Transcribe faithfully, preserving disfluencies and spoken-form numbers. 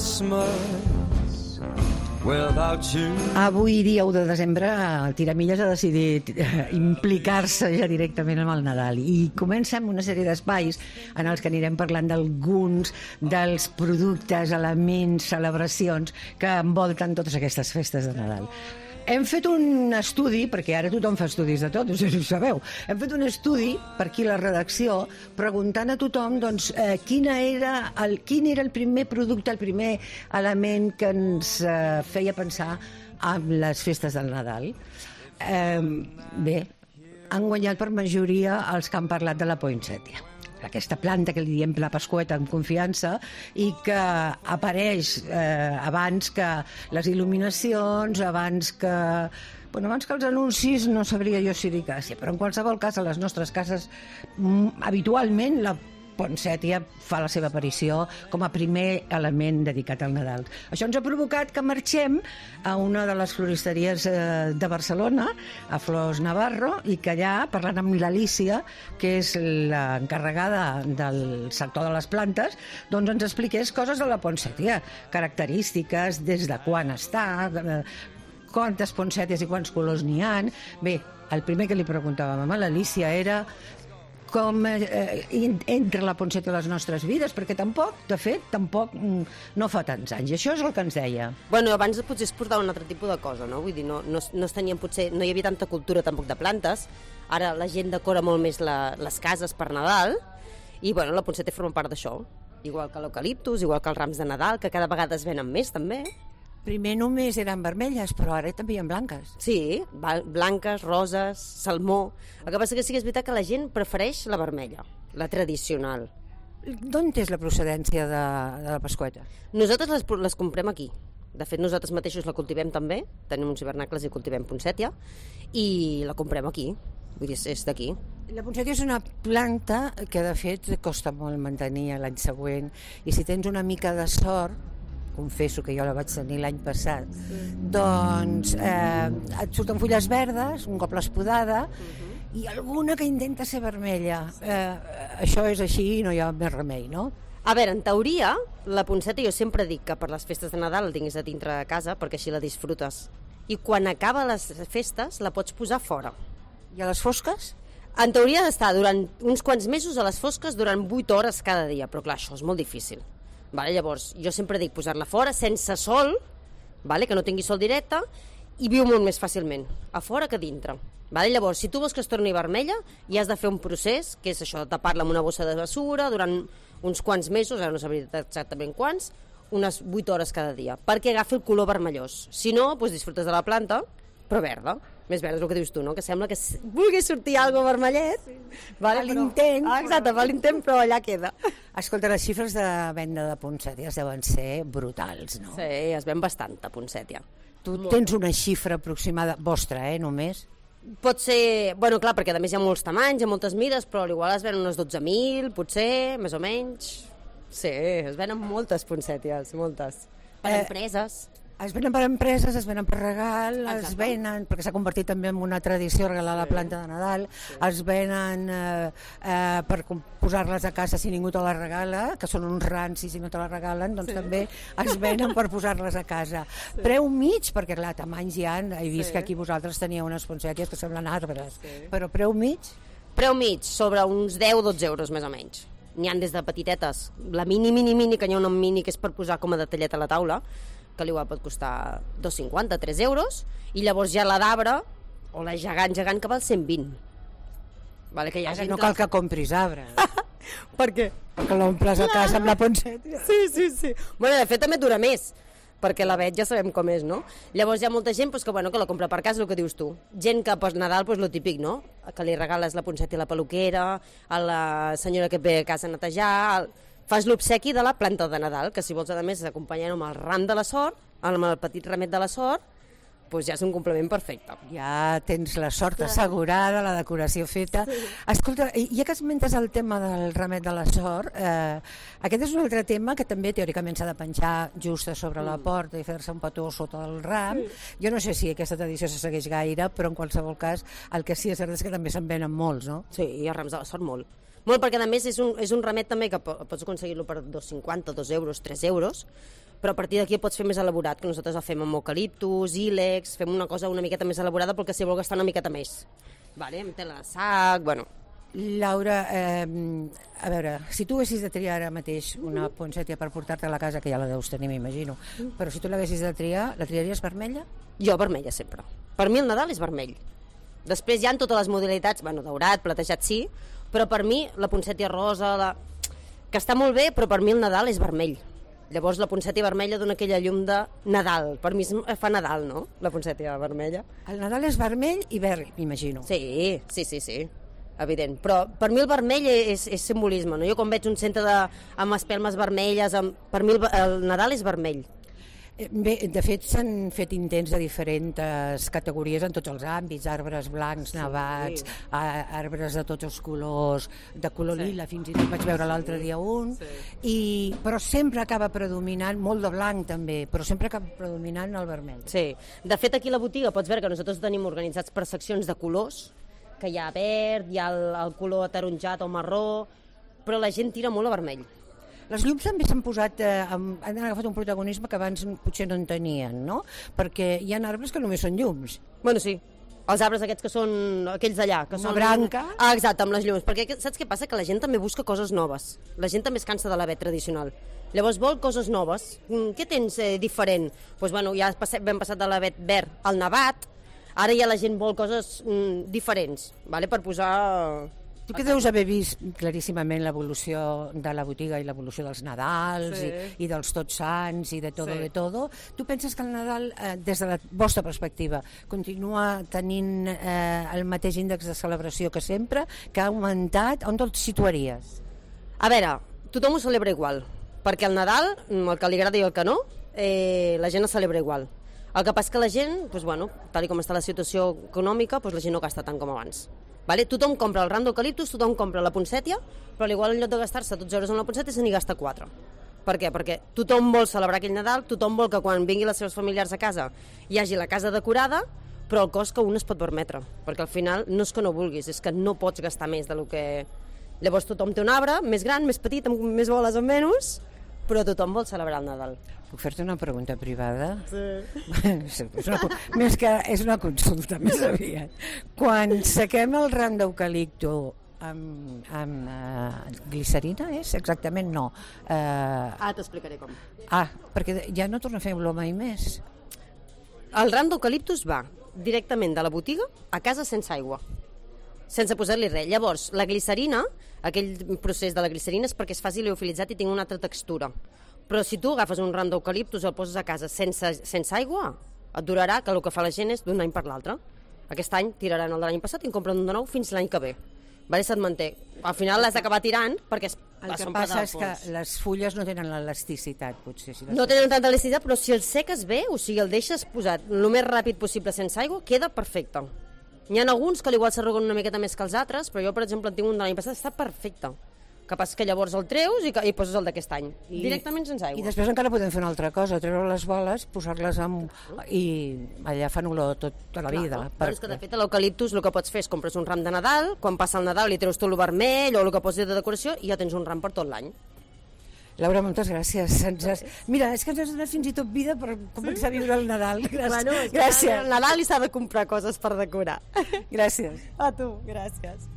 Christmas without you. Avui, dia u de desembre, el Tiramilles ha decidit eh, implicar-se ja directament amb el Nadal i comencem una sèrie d'espais en els que anirem parlant d'alguns dels productes, elements, celebracions que envolten totes aquestes festes de Nadal. Hem fet un estudi, perquè ara tothom fa estudis de tot, no sé si ho sabeu, hem fet un estudi per aquí a la redacció preguntant a tothom doncs, eh, quina era el, quin era el primer producte, el primer element que ens eh, feia pensar en les festes del Nadal. Eh, bé, han guanyat per majoria els que han parlat de la poinsettia. Aquesta planta que li diem la pasqüeta amb confiança i que apareix eh, abans que les il·luminacions, abans que, bueno, abans que els anuncis, no sabria jo si dir quasi, però en qualsevol cas a les nostres cases mm, habitualment la poinsettia fa la seva aparició com a primer element dedicat al Nadal. Això ens ha provocat que marxem a una de les floristeries eh, de Barcelona, a Flors Navarro, i que allà, parlant amb l'Alícia, que és l'encarregada del sector de les plantes, doncs ens expliqués coses de la poinsettia, característiques, des de quan està, eh, quantes poinsetties i quants colors n'hi ha. Bé, el primer que li preguntàvem a l'Alícia era com eh, entra la poinsettia a les nostres vides, perquè tampoc, de fet, tampoc mm, no fa tants anys. I això és el que ens deia. Bueno, abans potser es portava un altre tipus de cosa, no? Vull dir, no, no, no es tenien, potser, no hi havia tanta cultura tampoc de plantes. Ara la gent decora molt més la, les cases per Nadal i, bueno, la poinsettia forma part d'això. Igual que l'eucaliptus, igual que els rams de Nadal, que cada vegada es venen més, també. Primer només eren vermelles, però ara també hi ha blanques. Sí, blanques, roses, salmó. El que passa que sí que és veritat que la gent prefereix la vermella, la tradicional. D'on és la procedència de, de la pasqüeta? Nosaltres les, les comprem aquí. De fet, nosaltres mateixos la cultivem també, tenim uns hivernacles i cultivem poinsettia, i la comprem aquí, vull dir, és d'aquí. La poinsettia és una planta que, de fet, costa molt mantenir l'any següent, i si tens una mica de sort, confesso que jo la vaig tenir l'any passat, doncs eh, et surten fulles verdes, un cop l'espodada, uh-huh. i alguna que intenta ser vermella. Eh, això és així i no hi ha més remei, no? A veure, en teoria, la poinsettia jo sempre dic que per les festes de Nadal la tinguis a dintre de casa perquè així la disfrutes. I quan acaba les festes la pots posar fora. I a les fosques? En teoria ha d'estar durant uns quants mesos a les fosques durant vuit hores cada dia, però clar, això és molt difícil. Vale, llavors, jo sempre dic posar-la fora, sense sol, vale, que no tingui sol directe, i viu molt més fàcilment, a fora que a dintre. Vale, llavors, si tu vols que es torni vermella, ja has de fer un procés, que és això, de tapar-la amb una bossa de bessura durant uns quants mesos, ara no sabria exactament quants, unes vuit hores cada dia, perquè agafi el color vermellós. Si no, doncs disfrutes de la planta, però verda. Més verda és el que dius tu, no? Que sembla que vulgui sortir alguna cosa vermellet. Sí. Vale, a l'intent. Ah, exacte, fa l'intent, però allà queda. Escolta, les xifres de venda de poinsettias deuen ser brutals, no? Sí, es ven bastant, de poinsettia. Tu tens una xifra aproximada, vostra, eh, només? Pot ser, bueno, clar, perquè a més hi ha molts tamanys, hi ha moltes mides, però igual es venen unes dotze mil, potser, més o menys. Sí, es venen moltes poinsetties, moltes. Per eh, empreses. Es venen per empreses, es venen per regal, Exacte. Es venen, perquè s'ha convertit també en una tradició regalar la planta de Nadal, sí. Es venen eh, eh, per posar-les a casa si ningú te la regala, que són uns rancis i no te la regalen, doncs sí. També es venen per posar-les a casa. Sí. Preu mig, perquè clar, tamanys hi ha, he vist sí. Que aquí vosaltres teníeu unes poinsetties que semblen arbres, sí. Però preu mig? Preu mig, sobre uns deu dotze euros més o menys. N'hi ha des de petitetes, la mini, mini, mini, que n'hi ha una mini que és per posar com a detallet a la taula, que l'igual pot costar dos cinquanta, tres euros, i llavors ja la d'arbre, o la gegant, gegant, que val cent vint. Vale, que ja ah, no cal que compris arbre. Per què? Perquè l'omples a casa amb la poinsettia. Sí, sí, sí. Bueno, de fet també dura més, perquè la vet ja sabem com és, no? Llavors hi ha molta gent pues, que, bueno, que la compra per casa, el que dius tu. Gent que per Nadal, pues, lo típic, no? Que li regales la poinsettia a la peluquera, a la senyora que ve a casa a netejar... El... Fas l'obsequi de la planta de Nadal, que si vols, a més, acompanyar amb el ram de la sort, amb el petit ramet de la sort, doncs ja és un complement perfecte. Ja tens la sort assegurada, la decoració feta. Sí. Escolta, ja que esmentes el tema del ramet de la sort, eh, aquest és un altre tema que també teòricament s'ha de penjar just a sobre mm. la porta i fer-se un petó sota el ram. Sí. Jo no sé si aquesta tradició se segueix gaire, però en qualsevol cas el que sí és cert és que també se'n venen molts, no? Sí, i els rams de la sort molt. Molt, perquè a més és un, és un ramet també que pots aconseguir-lo per dos cinquanta, dos euros, tres euros, però a partir d'aquí pots fer més elaborat, que nosaltres el fem amb eucaliptus, ílex, fem una cosa una miqueta més elaborada perquè si vol gastar una miqueta més. Vale? Amb tela de sac, bueno... Laura, eh, a veure, si tu haguessis de triar ara mateix una poinsettia per portar-te a la casa, que ja la deus tenir, m'imagino, però si tu l'haguessis de triar, la triaries vermella? Jo vermella sempre. Per mi el Nadal és vermell. Després hi ha totes les modalitats, bueno, daurat, platejat sí, però per mi la poinsettia rosa, la... que està molt bé, però per mi el Nadal és vermell. Llavors la poinsettia vermella dona aquella llum de Nadal. Per mi fa Nadal, no?, la poinsettia vermella. El Nadal és vermell i verd, m'imagino. Sí, sí, sí, sí. Evident, però per mi el vermell és, és simbolisme, no? Jo quan veig un centre de, amb espelmes vermelles, amb, per mi el, el Nadal és vermell. Bé, de fet s'han fet intents de diferents categories en tots els àmbits, arbres blancs, nevats, sí. arbres de tots els colors, de color sí. lila, fins i tot vaig veure l'altre dia un, sí. i, però sempre acaba predominant, molt de blanc també, però sempre acaba predominant el vermell. Sí, de fet aquí a la botiga pots veure que nosaltres tenim organitzats per seccions de colors, que hi ha verd, hi ha el, el color ataronjat o marró, però la gent tira molt a vermell. Les llums també s'han posat, eh, han agafat un protagonisme que abans potser no en tenien, no? Perquè hi ha arbres que només són llums. Bueno, sí. Els arbres aquests que són aquells d'allà, que Una són... branca. Ah, exacte, amb les llums. Perquè saps què passa? Que la gent també busca coses noves. La gent també es cansa de l'avet tradicional. Llavors vol coses noves. Què tens eh, diferent? Doncs pues, bueno, ja vam passat de l'avet verd al nevat. Ara ja la gent vol coses mm, diferents, vale? Per posar... Tu que deus haver vist claríssimament l'evolució de la botiga i l'evolució dels Nadals sí. i, i dels Tots Sants i de todo sí. de todo, tu penses que el Nadal, eh, des de la vostra perspectiva, continua tenint eh, el mateix índex de celebració que sempre, que ha augmentat? On te'l situaries? A veure, tothom ho celebra igual, perquè el Nadal, el que li agrada i el que no, eh, la gent el celebra igual. El que passa que la gent, doncs, bueno, tal com està la situació econòmica, doncs la gent no gasta tant com abans. Vale? Tothom compra el ram d'eucaliptus, tothom compra la poinsettia, però igual en lloc de gastar-se dotze euros en la poinsettia se n'hi gasta quatre. Per què? Perquè tothom vol celebrar aquell Nadal, tothom vol que quan vinguin les seves familiars a casa hi hagi la casa decorada, però el cost que un es pot permetre, perquè al final no és que no vulguis, és que no pots gastar més del que... Llavors tothom té un arbre més gran, més petit, amb més boles o menys, però tothom vol celebrar el Nadal. Puc fer-te una pregunta privada? Sí. és una, més que és una consulta, més aviat. Quan sequem el ram d'eucalipto amb, amb uh, glicerina, és? Exactament no. Uh, ah, t'explicaré com. Ah, perquè ja no torna a fer olor mai més. El ram d'eucaliptus va directament de la botiga a casa sense aigua, sense posar-li res. Llavors, la glicerina, aquell procés de la glicerina és perquè es faci liofilitzat i tingui una altra textura. Però si tu agafes un ram d'eucaliptus i el poses a casa sense, sense aigua, et durarà, que el que fa la gent és d'un any per l'altre. Aquest any tiraran el de l'any passat i en compren un de nou fins l'any que ve. Vale, se't manté. Al final l'has d'acabar tirant perquè es, el que passa és que les fulles no tenen l'elasticitat, potser. Si no tenen tanta elasticitat, però si el seques bé, o sigui, el deixes posat el més ràpid possible sense aigua, queda perfecte. N'hi ha alguns que igual s'arruguen una miqueta més que els altres, però jo, per exemple, en tinc un de l'any passat, està perfecte. Que passa que llavors el treus i, i poses el d'aquest any. I, directament sense aigua. I després encara podem fer una altra cosa, treure les boles, posar-les amb... i allà fan olor tot, tota la vida. Clar, però és que de fet a l'eucaliptus el que pots fer és compres un ram de Nadal, quan passa el Nadal li treus tot el vermell o el que posis de decoració i ja tens un ram per tot l'any. Laura, moltes gràcies. Ens has... Mira, és que ens has donat fins i tot vida per començar sí? a viure el Nadal. Gràcies. Bueno, gràcies. El Nadal i s'ha de comprar coses per decorar. Gràcies. A tu, gràcies.